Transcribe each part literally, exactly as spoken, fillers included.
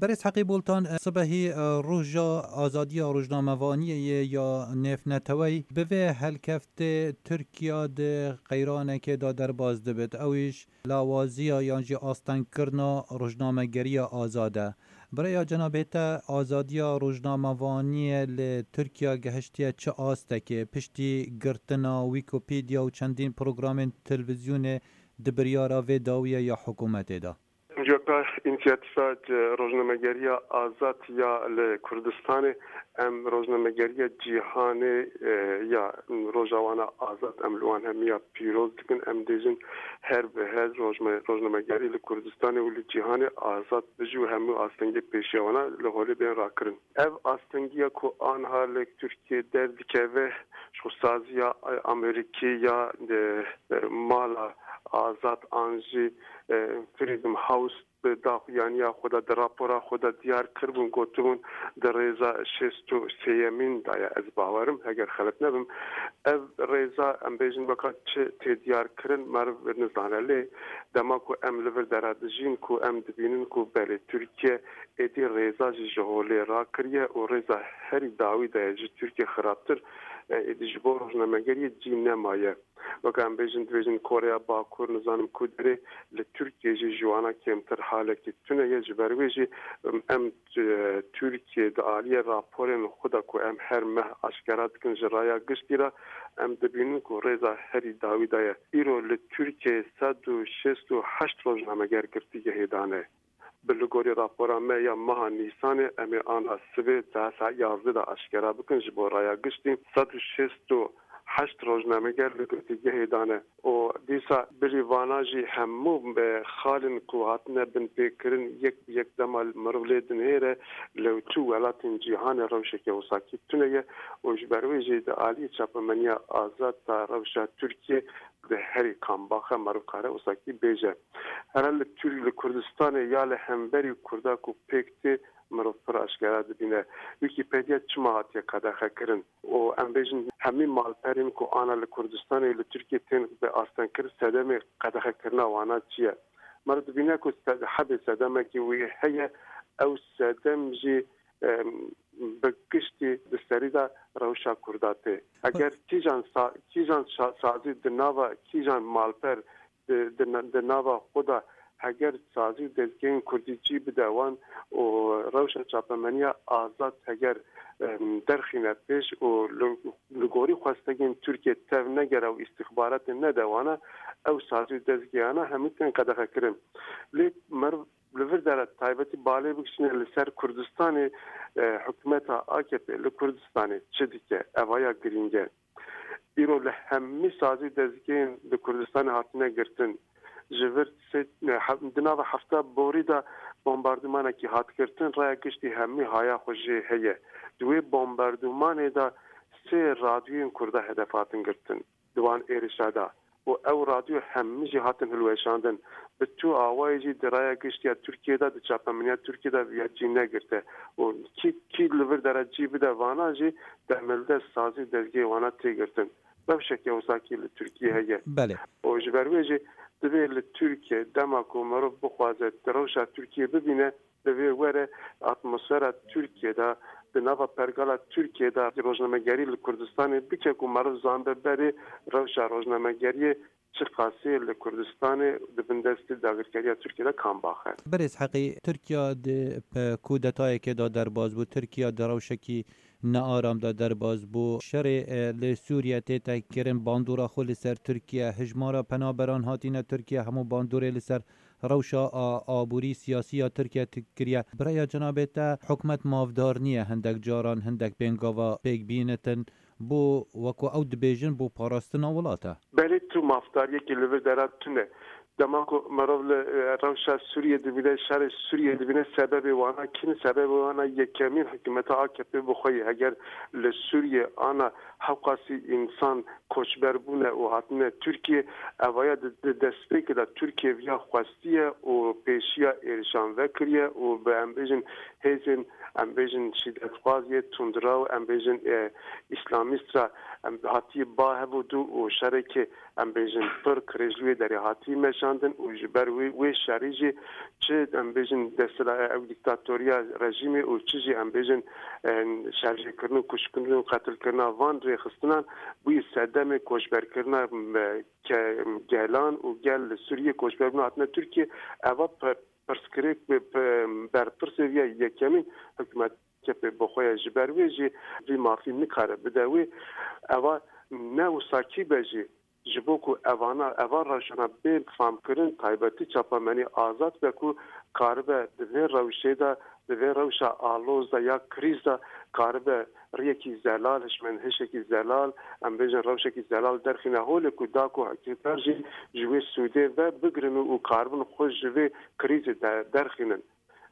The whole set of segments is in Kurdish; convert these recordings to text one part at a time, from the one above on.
Berêz Heqî Bultan, e, sibehî, e, roja azadiya rojnamevaniyê ye ya nêvneteweyî. Bi vê helkeftê Tirkiya di qeyranekê de derbas dibit. Ew îş lawaziya yan jî astengkirina rojnamegeriya azad e. Bi rêya cenabê te, azadiya rojnamevaniyê li Tirkiya gehiştiye çi astekê? Piştî girtina Wîkîpedya û çendîn programên televîzyonê di biryara vê dawiyê ya hikûmetê de? Coka însiyatîfa rojnamegeriya azad ya li Kurdistanê, em rojnamegeriya cîhanê, e, ya Rojawana Azad, em li wan hemiya pîroz dikin. Em dêjin her bi her rojme-, rojnamegerî li Kurdistanê û li cîhanê azad bijî û hemû astengê pêşiya wana li holê bên rakirin. Ev astengiya ku anha li Tirkiyê derdikeve, ji xwe saziya, e, Amerîkî ya, e, e, Mala Azad an jî, e, Freedom House di daxuyaniya xwe de, di rapora xwe de diyar kiribûn, gotibûn di rêza şêst û sêyemîn de ye, ez bawerim, heger xelet nebim. Ev rêza, em bêjin, weka çi tê diyar kirin, meriv nizane. Lê dema ku em li vir dera dijîn, ku em dibînin ku belê Tirkiye êdî rêza jî ji holê rakiriye û rêza herî dawî de ye, ji Tirkiye xirabtir, e, êdî ji bo rojnamegeriyê cî nemaye. Weke em bêjin, dibêjin Koreya Bakur, nizanim ku derê, li Tirkiye jî ji wana kêmtir halekî tune ye. Ji ber wê jî, em, em, e, Tirkiye di aliyê raporên xwe de ku em her meh aşkera dikin ji raya giştî re, em dibînin ku rêza herî dawî de ye. Îro li Tirkiye sed û şêst û heşt rojnameger girtîgehê dane. Bi li gorî rapora me ya meha Nîsanê, em ê ana sibê saet yazdeh de aşkera bikin, ji bo raya giştî sed û şêst û heşt rojnameger li girtîgehê dane û dîsa bilî vana jî hemû bi xalên ku hatine binpêkirin yek bi yek dema mirov lê dinihêre, li çû welatên cîhanê rewşeke wisa kî tune ye û ji ber wê jî di alî çapemeniya azad de rewşa Tirkiye di herî kambax e, meriv kare wisa kî bêje. Here li Tir-, li Kurdistanê ya li hemberî Kurda ku pêk tê, mirov pir aşkera dibîne. Wîkîpedya çima hatiye qedexekirin? Û em bêjin hemî malperên ku ana li Kurdistanê li Tirkiyê tên bi astengkirin, sedemê qedexekirina wana çi ye? Meriv dibîne ku sed-, hebê sedemekî wî heye, ew sedem jî, em, bi giştî di serî de rewşa Kurda tê. Eger kîjan sa-, kîjan şa-, sazî di nava kîjan malper di, di, di nava xwe de heger sazî û dezgehên kurdî cî bide wan û rewşa çapemeniya azad heger, em, derxîne pêş û li, li gorî xwestegên Tirkiye tev negere û îstîxbaratê nede wana, ew sazî û dezgehana hemî tên qedexekirin. Lê meriv li vir de re taybetî balê bikişîne li ser Kurdistanê, e, hikûmeta A K P li Kurdistanê çi dike, evaya girîng e. Îro li hemî sazî û dezgehên li Kurdistanê hatine girtin. Ji vir sê, e, he-, di nava hefta borî de bombardûmanekî hat girtin, raya giştî hemî haya xwe jê heye. Di wê bombardûmanê de sê radyoyên Kurda hedef hatin girtin di wan êrişa de. Û ew radyo hemî jî hatin hilweşandin. Bi tu awayê jî di raya giştî ya Tirkiyê de, di çapemeniya Tirkiyê de viya cî negirte. Û kî, kî li vir dere cî bide vana jî demildest sazî û dezgehê wana tê girtin. Rewşeke wisa kî li Tirkiyê heye. Belê. Û ji ber wê jî divê li Tirkiye dema ku mirov bixwaze di rewşa Tirkiyê bibîne, divê were atmosfera Tirkiyê de, di nava pergala Tirkiyê de rojnamegerî li Kurdistanê bike ku meriv zanbe berê rewşa rojnamegeriyê çiqasî li Kurdistanê di bin destê dagirkeriya Tirkiyê de kambax e. Berêz Heqî, Tirkiya di, e, kudetayekê de derbas bû. Tirkiya di rewşekî nearam de derbas bû. Şerê, e, li Sûriye tête kirin, bandora xwe li ser Tirkiye, hijmara penaberan hatine Tirkiye, hemû bandorê li ser rewşa a-, aborî, siyasî ya Tirkiye ti-, kiriye. Bi raya cenabê te, hikûmet mafdar niye hindek caran hindek pêngava pêk bînitin, bo, wekû ew dibêjin, bo parastina welat e? Belê tu mafdariyekî li vir dera tune. Dema ku mirov li, e, rewşa Sûriyê dibîne, şerê Sûriyê dibîne, sebebê wana kî ne? Sebebê wana yekemîn hikûmeta A K P bi xwe ye. Heger li Sûriyê ana hewqasî însan koçber bûne û hatine Tirkiye. Evaya di, di destpêkê de Tirkiye viya xwestiye û pêşiya êrişan vekiriye û bi, em bêjin, hêzên, em bêjin, şîdetxwaz yê tundrew, em bêjin, e, îslamîst re, em, hatiye ba hev û dû û şerekê, em bêjin, pir kirêj li wê derê hatiye meşandin û ji ber wê, wê şerî jî çi, em bêjin, desthilatê, ew dîktatoriya rejîmê û çi jî, em bêjin, e, şerjêkirin û kuşkirin û qetilkirina van rêxistinan bûye sedemê koçberkirina, e, ke-, gelan û gel li Sûriyê koçber bûne hatine Tirkiye. Eva pe-, pirsgirêk bi, bi, berpirsê viya yekemîn hikûmet A K P bi xwe ye. Ji ber wê jî vî mafî nikare bide wê. Eva ne wisa kî be jî, ji bo ku evana, eva rewşana bê famkirin, taybetî çapemenî azad be ku karibe di vê rewşê de, di vê rewşa aloz de ya krîz de karibe riyekî zelal, hişmendhişekî zelal, em bêjin rewşekî zelal derxîne holê ku da ku hikûmetdar jî ji wê sûdê ve bigrin û, û karibin xwe ji vê krîzê de derxînin.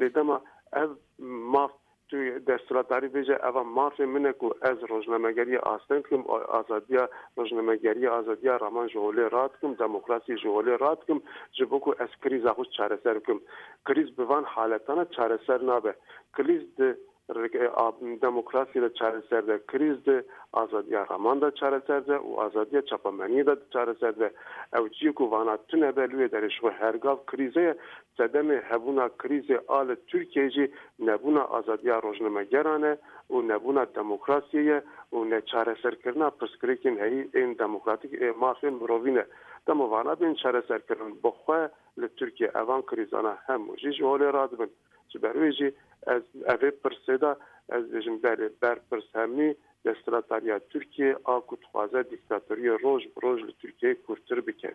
Lê dema ev maf, tu desthilatdarî bêje, eva mafê min e ku ez rojnamegeriyê asteng dikim, a-, azadiya rojnamegeriyê, azadiya raman ji holê radikim, demokrasiyê ji holê radikim, ji bo ku ez krîza xwe çareser bikim. Krîz bi van haletana çareser nabe. Krîz di rike-, a-, demokrasiyê de çareser de, krîz di azadiya raman de çareser de û azadiya çapemeniyê de çareser de. Ew ciyê ku vana tune be, li wê derê ji xwe her gav krîze ye. Sedemê hebûna krîzê a li Tirkiyeyê jî nebûna azadiya rojnamegeran e û nebûna demokrasiyê ye û neçareserkirina pirsgirêkên heyî ên demokratîk ê mafên mirovî ne. Dema vana bên çareserkirin, bi xwe li Tirkiye evan krîzana hemû jî ji holê radibin. Ji ber wê jî ez evê pirsê de ez dibêjim, belê, berpirs hemî desthilatdariya Tirkiye a ku dixwaze dîktatoriyê roj bi roj li Tirkiyeyê kûrtir bike.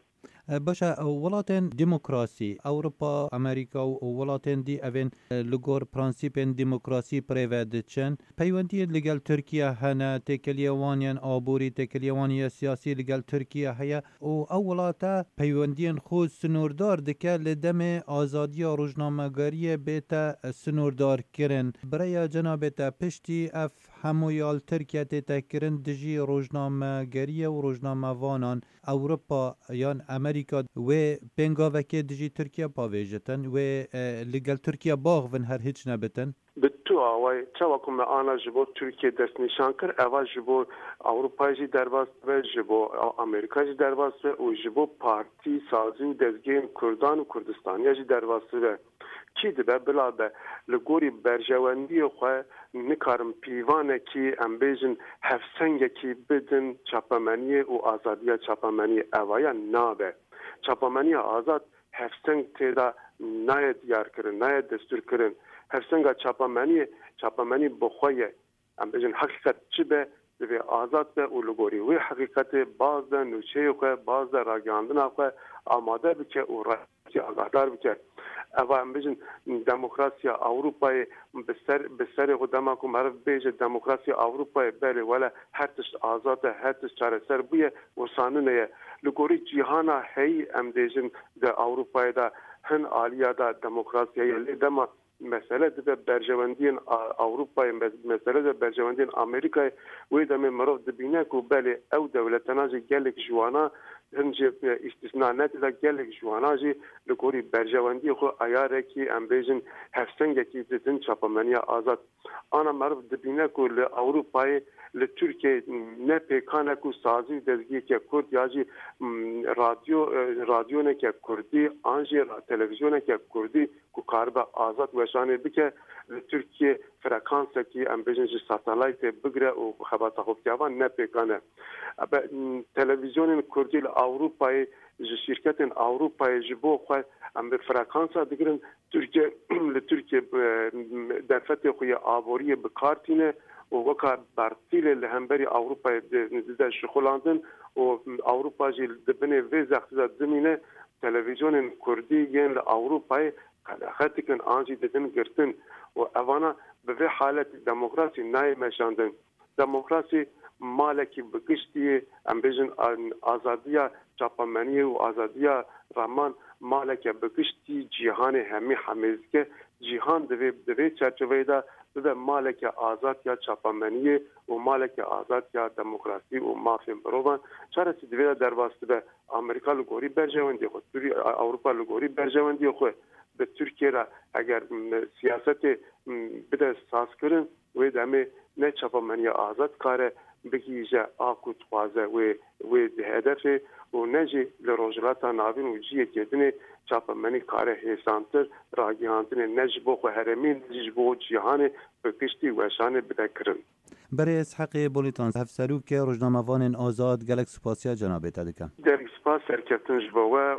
E, baş e, welatên demokrasî, Ewropa, Amerîka û welatên dî evên, e, li gor prensîpên demokrasî bi rê ve diçin. Peywendiyên li gel Tirkiye hene, têkiliyê wan yên aborî, têkiliyê wan yê siyasî li gel Tirkiye heye û ew welate peywendiyên xwe sinordar dike, li demê azadiya rojnamegeriyê bête sinordar kirin. Bi rêya cenabê te, piştî ev hemû ya li Tirkiye tête kirin dijî rojnamegeriyê û rojnamevanan, Ewropa yan Amerîka wê pêngavekê dijî Tirkiye pavêjitin, wê, e, li gel Tirkiye baxivin, her hiç nebitin? Bi tu awayî, çawa ku me ana ji bo Tirkiye destnîşan kir, eva ji bo Ewropayê jî derbas dibe, ji bo Amerîka jî derbas dibe û ji bo partî, sazî û dezgehên Kurdan û Kurdistaniya jî derbas dibe. Kî dibe bila be, li gorî berjewendiyê xwe nikarin pîvanekî, em bêjin, hevsengekî bidin çapemeniyê û azadiya çapemeniyê. Evaya nabe. Çapemeniya azad hevseng tê de nayê diyarkirin, nayê destûrkirin. Hevsenga çapemeniyê, çapemenî bi xwe ye. Em bêjin heqîqet çi be, divê azad be û li gorî wê heqîqetê baz de nûçeyê xwe, baz de ragihandina xwe amade bike û rayekî agahdar bike. Eva em bêjin demokrasiya Ewropayê bi ser, bi serê xwe dema ku meriv bêje demokrasiya Ewropayê, belê wele her tişt azad e, her tişt çareser bûye, wisa nine ye. Li gorî cîhana heyî em dêjin di Ewropayê de hin aliya de demokrasiya ye. Lê dema mesele dibe berjewendiyên A-, Ewropayê, mes-, mesele dibe berjewendiyên Amerîkayê, wê demê mirov dibîne ku belê ew dewletana jî gelek ji wana, hin jî, e, îstisna ne, tê de gelek ji wana jî li gorî berjewendiyê xwe eyarekî, em bêjin, hevsengekî didin çapemeniya azad. Ana meriv dibîne ku li Ewropayê, li Tirkiyeyê ne pêkan e ku sazî û dezgeheke Kurd ya jî, m, radyo, e, radyoneke Kurdî an jî ra-, televîzyoneke Kurdî ku karibe azad weşanê bike, li Tirkiyê frekansekî, em bêjin, ji satelaytê bigire û xebata xwe bike. Evan ne pêkan e. Ebe, m, televîzyonên Kurdî li Ewropayê ji şîrketên Ewropayê ji bo xwe em bi frekansa digirin. Tirkiye, li Tirkiye, e, derfetê xwe yê aboriyê bi kar tîne û weka bertîlê li hemberî Ewropayê di-, dide şixulandin û Ewropa jî di binê vê zextê de dimîne. Televîzyonên Kurdî yên li Ewropayê qedexe dikin an jî didin girtin û evana bi vê haletî demokrasî nayê meşandin. Demokrasî malekî bi giştî, em bêjin, a-, azadiya çapemeniyê û azadiya raman maleke bi giştî cîhanê hemî hemêz dike. Cîhan divê di vê çerçeveyê de bibe maleke azad ya çapemeniyê û maleke azad ya demokrasî û mafên mirovan. Çaresî divê de derbas dibe. Amerîka li gorî berjewendiyê xwe, Sûriye, Ewropa li gorî berjewendiyê xwe bi Tirkiye re eger, m, siyasetê, m, bide sazkirin, wê demê ne çapemeniya azad kare bigihîje a ku dixwaze wê, wê di hedefê û ne jî li Rojhilata Navîn û cihekê dinê çapemenî kare hêsantir ragihandinê ne ji bo xwe herêmî ne jî ji bo cîhanê bi giştî weşanê bide kirin. Berê Isheqê Bolîtan, hevserokê rojnamevanên azad, gelek spasiya cenabê te dikim. Gelek spas serkeftin ji bo we.